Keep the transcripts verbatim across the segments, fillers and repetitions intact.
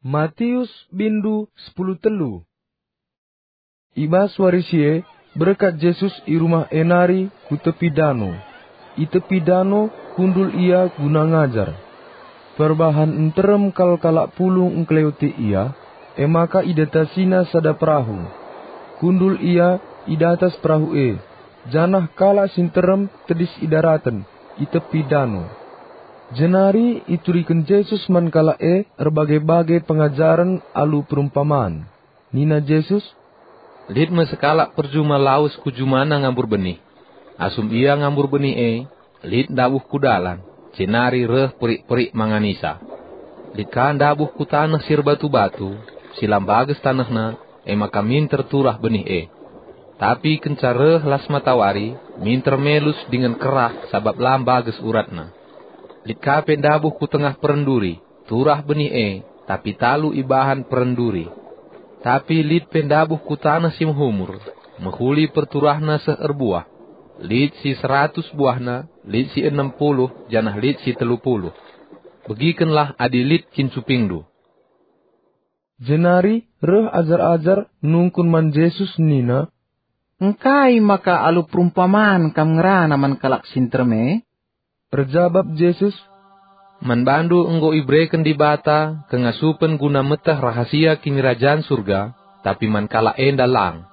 Matius bindu sepuluh telu. I bas wari si e, berkat Jesus i rumah e nari ku tepi dano. I tepi dano kundul ia guna ngajar. Perbahan nterem kal kalak pulung ngkeleweti ia, e maka idatasina sada perahu. Kundul ia i datas perahu e, janah kalak si nterem tedis i daraten, i tepi dano. Jenari ituriken Jesus man kalak e erbage-bage pengajaren alu perumpaman. Nina Jesus, "Lit me sekalak perjuma lawes ku jumana ngambur benih. Asum ia ngambur benih e, lit ndabuh ku dalan, jenari reh perik-perik manganisa. Lit ka ndabuh ku taneh si erbatu-batu, si la mbages tanehna, e maka minter turah benih e. Tapi kenca reh las matawari, minter melus dingen kerah sabap la mbages uratna. Lit ka pe ndabuh ku tengah perenduri, turah benih e, tapi talu ibahan perenduri. Tapi lit pe ndabuh ku taneh si mehumur, mehuli perturahna seh erbuah. Lit si seratus buahna, lit si enem puluh, janah lit si telu puluh. Begikenlah adi lit kin cupingndu." Jenari reh ajar-ajar nungkun man Jesus nina, "Engkai maka alu perumpaman Kam ngerana man kalak si nterem e?" Erjabap Jesus, "Man bandu enggo ibereken Dibata kengasupen guna meteh rahasia Kinirajan Surga, tapi man kalak enda lang.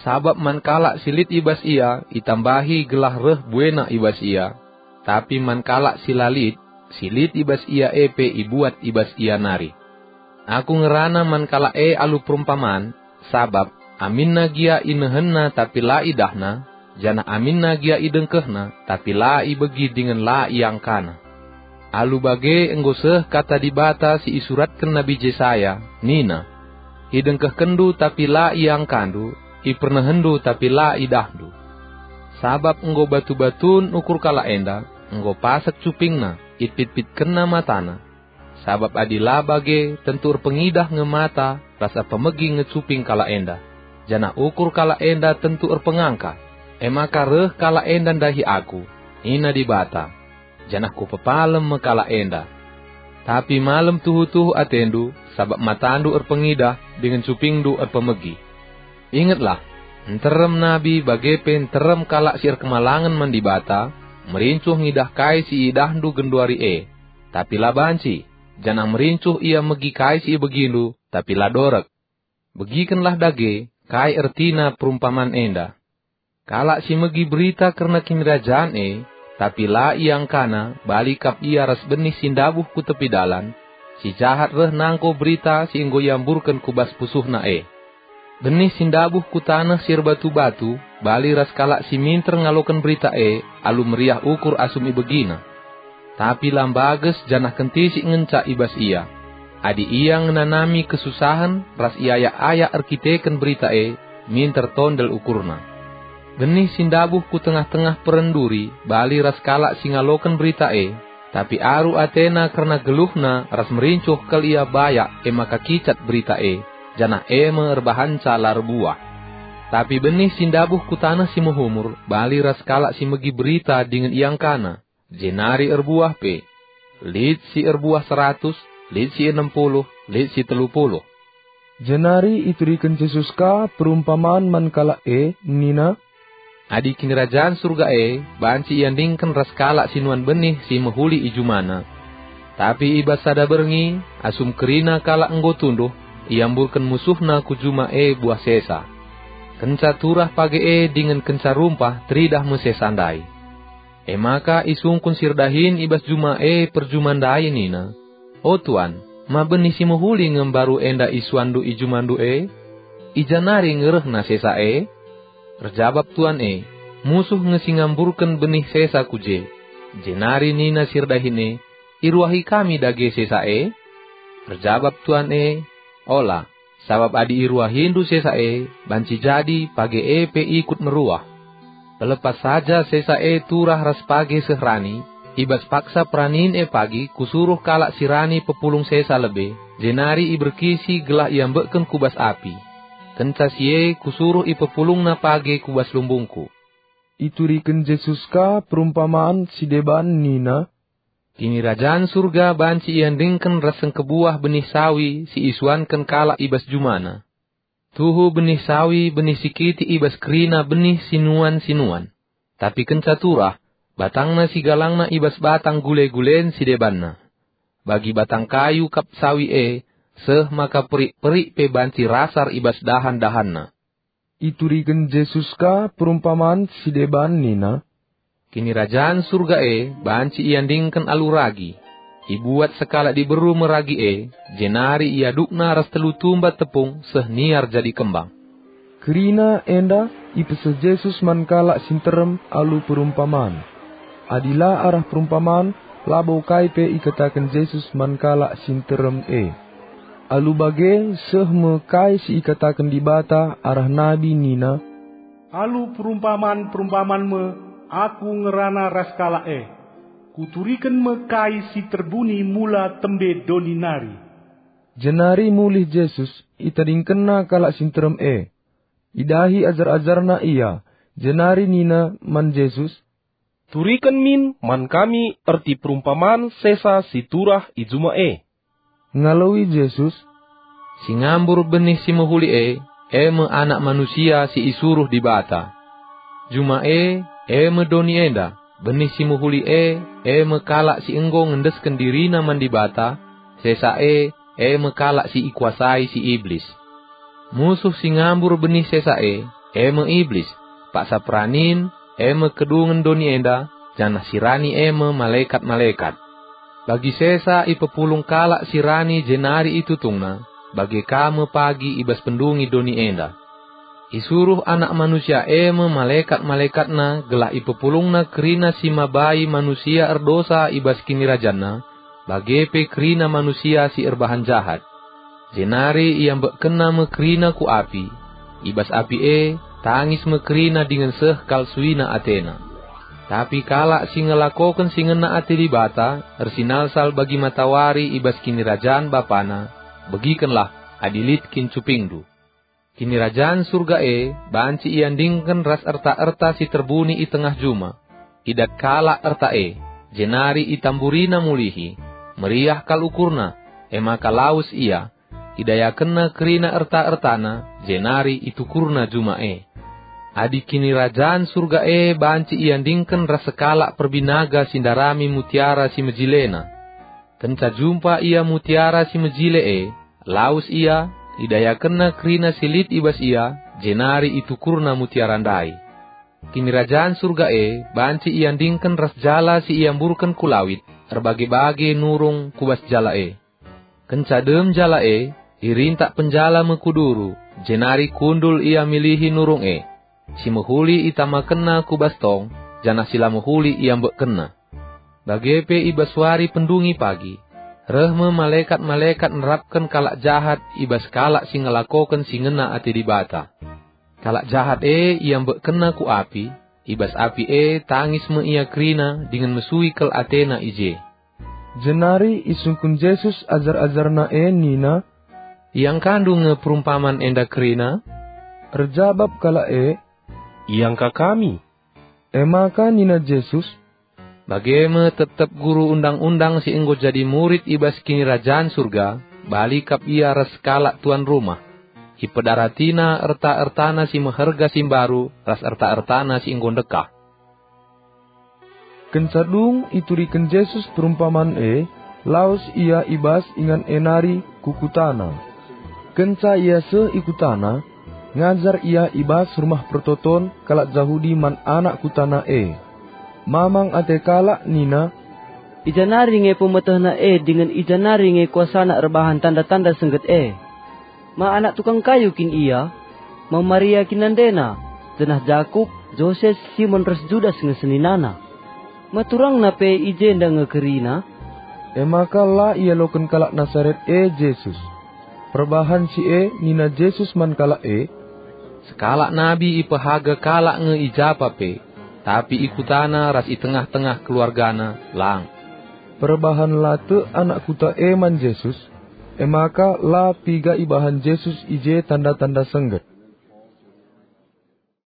Sabap man kalak si lit i bas ia itambahi gelah reh buena i bas ia, tapi man kalak si la lit, si lit i bas ia e pe ibuat i bas ia nari. Aku ngerana man kalak e alu perumpaman, sabap aminna gia inehenna tapi la idahna, janah aminna gia idengkehna tapi la ibegi dingen la iangkana. Alu bage enggo seh kata Dibata si isuratken Nabi Jesaya, nina, 'Idengkehkenndu tapi la iangkandu, ipernehenndu tapi la idahndu.' Sabap enggo batu-batun ukur kalak enda, enggo pasek cupingna, ipit-pitkenna matana. Sabap adi la bage, tentu erpengidah nge mata ras erpemegi nge cuping kalak enda, janah ukur kalak enda tentu erpengangka. E maka reh kalak enda ndahi Aku, nina Dibata, janah Kupepalem me kalak enda. Tapi malem tuhu-tuhu atendu, sabap matandu erpengidah dingen cupingndu erpemegi. Ingetlah, nterem nabi bage pe nterem kalak si erkemalangen man Dibata merincuh ngidah kai si iidahndu genduari e, tapi la banci, janah merincuh ia megi kai si ibegindu, tapi la dorek. Begikenlah dage kai ertina perumpaman enda. Kalak si megi berita kerna Kinirajan e, tapi la iangkana, bali kap ia ras benih si ndabuh ku tepi dalan, si jahat reh nangko berita si enggo iamburken ku bas pusuhna e. Benih si ndabuh ku taneh si erbatu-batu bali ras kalak si minter ngaloken berita e alu meriah ukur asum ibegina. Tapi la mbages janah kentisik ngenca i bas ia. Adi ia ngenanami kesusahen ras iayak-ayak erkiteken berita e, minter tondel ukurna. Benih si ndabuh ku tengah-tengah perenduri bali ras kalak si ngaloken berita e, tapi aru atena kerna geluhna ras merincuh kal ia bayak, e maka kicat berita e, janah e me erbahanca la erbuah. Tapi benih si ndabuh ku taneh si mehumur bali ras kalak si megi berita dingen iangkana, jenari erbuah pe. Lit si erbuah seratus, lit si enem puluh, lit si telu puluh. Jenari ituriken Jesus ka perumpaman man kalak e, nina, "Adi Kinirajan Surga e banci iandingken ras kalak si nuan benih si mehuli i jumana. Tapi i bas sada berngi, asum kerina kalak enggo tunduh, iamburken musuhna ku juma e buah sesa. Kenca turah page e dingen kenca rumpah teridah me sesa ndai. E maka isungkun si erdahin i bas juma e perjuma ndai nina, 'O Tuan, ma benih si mehuli nge mbaru enda isuanndu i jumandu e? I ja nari nge rehna sesa e?' Erjabap tuan e, 'Musuh nge si ngamburken benih sesa ku je.' Jenari nina si erdahin e, 'Iruahi kami dage sesa e?' Erjabap tuan e, 'Ola, sabap adi iruahindu sesa e, banci jadi page e pe ikut meruah. Pelepas saja sesa e turah ras page seh rani, i bas paksa peranin e pagi kusuruh kalak si rani pepulung sesa lebe, jenari iberkisi gelah iambekken ku bas api. Kenca si e kusuruh ipepulungna page ku bas lumbungku.'" Ituriken Jesus ka perumpaman si deban nina, Kinirajan Surga banci iandingken ras sengkebuah benih sawi si isuanken kalak i bas jumana. Tuhu benih sawi benih si kitik i bas kerina benih sinuan-sinuan. Tapi kenca turah, batangna si galangna i bas batang gule-gulen si debanna. Bagi batang kayu kap sawi e, seh maka perik-perik pe banci rasar i bas dahan-dahanna. Ituriken Jesus ka perumpaman si deban nina, "Kinirajan Surga e banci iandingken alu ragi. Ibuat sekalak diberu me ragi e, jenari iadukna ras telu tumba tepung seh niar jadi kembang." Kerina enda ipeseh Jesus man kalak si nterem alu perumpaman. Adi la arah perumpaman, labo kai pe ikataken Jesus man kalak si nterem e. Alu bage seh me kai si ikataken Dibata arah nabi nina, "Alu perumpaman-perumpaman me Aku ngerana ras kalak e. Kuturiken me kai si terbuni mula tembe doni nari." Jenari mulih Jesus, itadingkenNa kalak si nterem e. Idahi ajar-ajarNa ia, jenari nina man Jesus, "Turiken min man kami erti perumpaman sesa si turah i juma e." Ngaloi Jesus, "Si ngambur benih si mehuli e, e me Anak Manusia si isuruh Dibata. Juma e, e me doni enda, benih si mehuli e, e me kalak si enggo ngendesken dirina man Dibata, sesa e, e me kalak si ikuasai si Iblis. Musuh si ngambur benih sesa e, e me Iblis, paksa peranin, e me kedungen doni enda, janah si rani e me malekat-malekat. Bagi sesa ipepulung kalak si rani jenari itutungna, bage ka me pagi i bas pendungi doni enda. Isuruh Anak Manusia e me malekat-malekatna gelah ipepulungna kerina si mabai manusia erdosa i bas kinirajanna, bage pe kerina manusia si erbahan jahat. Jenari iambekkenna me kerina ku api. I bas api e, tangis me kerina dingen seh kal suina atena. Tapi kalak si ngelakoken si ngena ate Dibata ersinalsal bagi matawari i bas kinirajan Bapana, begikenlah adi lit kin cupingndu." Kinirajan Surga e banci iandingken ras erta-erta si terbuni i tengah juma. Idat kalak erta e, jenari itamburina mulihi. Meriah kal ukurna, e maka lawes ia. Idayakenna kerina erta-ertana, jenari itukurna juma e. Adi Kinirajan Surga e banci iandingken ras sekalak perbinaga si ndarami mutiara si mejilena. Kenca jumpa ia mutiara si mejile e, lawes ia, idayakenna kerina si lit i bas ia, jenari itukurna mutiara ndai. Kinirajan Surga e banci iandingken ras jala si iamburken ku lawit, erbage-bage nurung ku bas jala e. Kenca dem jala e, irintak penjala me ku duru, jenari kundul ia milihi nurung e. Si mehuli itamakenna ku bas tong, janah si la mehuli iambekkenna. Bage pe i bas wari pendungi pagi, reh me malekat-malekat nerapken kalak jahat i bas kalak si ngelakoken si ngena ate Dibata. Kalak jahat e iambekkenna ku api, i bas api e tangis me ia kerina dingen mesui kal atena i je. Jenari isungkun Jesus ajar-ajarNa e nina, "Iangkandu nge perumpaman enda kerina?" Erjabap kalak e, "Iangka kami." E maka nina Jesus, "Bage me tep-tep guru Undang-undang si enggo jadi murid i bas Kinirajan Surga, bali kap ia ras kalak tuan rumah. Ipedaratina erta-ertana si meherga si mbaru ras erta-ertana si enggo ndekah." Kenca dung ituriken Jesus perumpaman e, lawes ia i bas ingan e nari ku kutana. Kenca ia seh i kutana, ngajar ia i bas Rumah Pertoton kalak Jahudi man anak kutana e. Mamang ate kalak nina, "I ja nari nge pemetehna e dingen i ja nari nge kuasana erbahan tanda-tanda sengget e? Ma anak tukang kayu kin ia? Ma Maria kin nandena, janah Jakup, Joses, Simon ras Judas nge seninana? Ma turangna pe i jenda nge kerina?" E maka la ialoken kalak Nasaret e Jesus. Perbahan si e nina Jesus man kalak e, "Sekalak nabi ipehaga kalak nge i japa pe, tapi i kutana ras i tengah-tengah keluargana, lang." Perbahan la tek anak kuta e man Jesus, e maka la piga ibahan Jesus i je tanda-tanda sengget.